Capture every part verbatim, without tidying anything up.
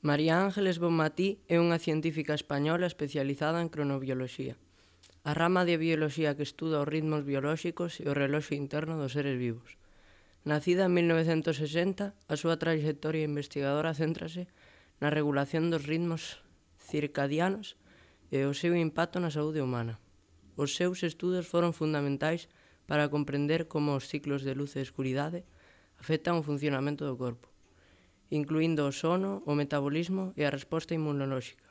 María Ángeles Bonmatí é unha científica española especializada en cronobioloxía, a rama de bioloxía que estuda os ritmos biolóxicos e o reloxo interno dos seres vivos. Nacida en mil novecentos sesenta, a súa trayectoria investigadora céntrase na regulación dos ritmos circadianos e o seu impacto na saúde humana. Os seus estudos foron fundamentais para comprender como os ciclos de luz e escuridade afectan o funcionamento do corpo, incluindo o sono, o metabolismo e a resposta inmunolóxica.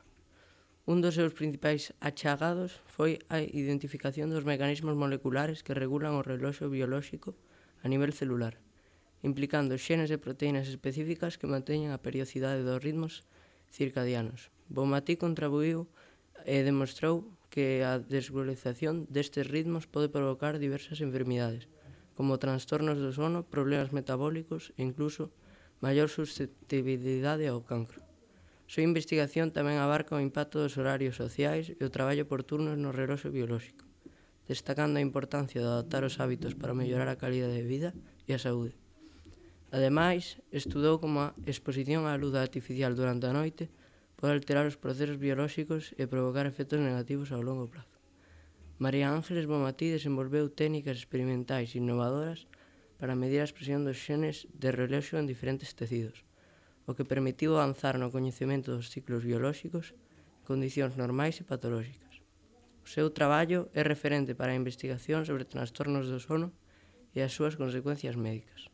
Un dos seus principais achagados foi a identificación dos mecanismos moleculares que regulan o reloxo biolóxico a nivel celular, implicando xenes e proteínas específicas que manteñen a periodicidade dos ritmos circadianos. Bonmatí contribuiu e demostrou que a desregulación destes ritmos pode provocar diversas enfermidades, como trastornos do sono, problemas metabólicos e incluso maior susceptibilidade ao cancro. A súa investigación tamén abarca o impacto dos horarios sociais e o traballo por turnos no reloxo biolóxico, destacando a importancia de adaptar os hábitos para mellorar a calidade de vida e a saúde. Ademais, estudou como a exposición á luz artificial durante a noite pode alterar os procesos biolóxicos e provocar efectos negativos ao longo prazo. María Ángeles Bonmatí desenvolveu técnicas experimentais innovadoras para medir a expresión dos xenes de reloxo en diferentes tecidos, o que permitiu avanzar no coñecemento dos ciclos biolóxicos en condicións normais e patolóxicas. O seu traballo é referente para a investigación sobre trastornos do sono e as súas consecuencias médicas.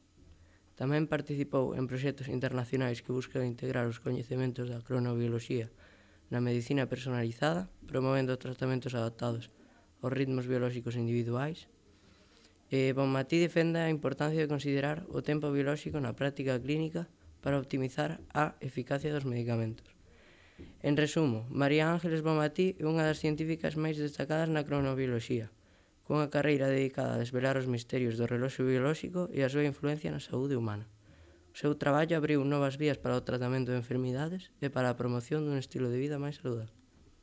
Tamén participou en proxectos internacionais que buscan integrar os coñecementos da cronobioloxía na medicina personalizada, promovendo tratamentos adaptados aos ritmos biolóxicos individuais. E Bonmatí defende a importancia de considerar o tempo biolóxico na práctica clínica para optimizar a eficacia dos medicamentos. En resumo, María Ángeles Bonmatí é unha das científicas máis destacadas na cronobioloxía, cunha carreira dedicada a desvelar os misterios do reloxo biolóxico e a súa influencia na saúde humana. O seu traballo abriu novas vías para o tratamento de enfermidades e para a promoción dun estilo de vida máis saludable.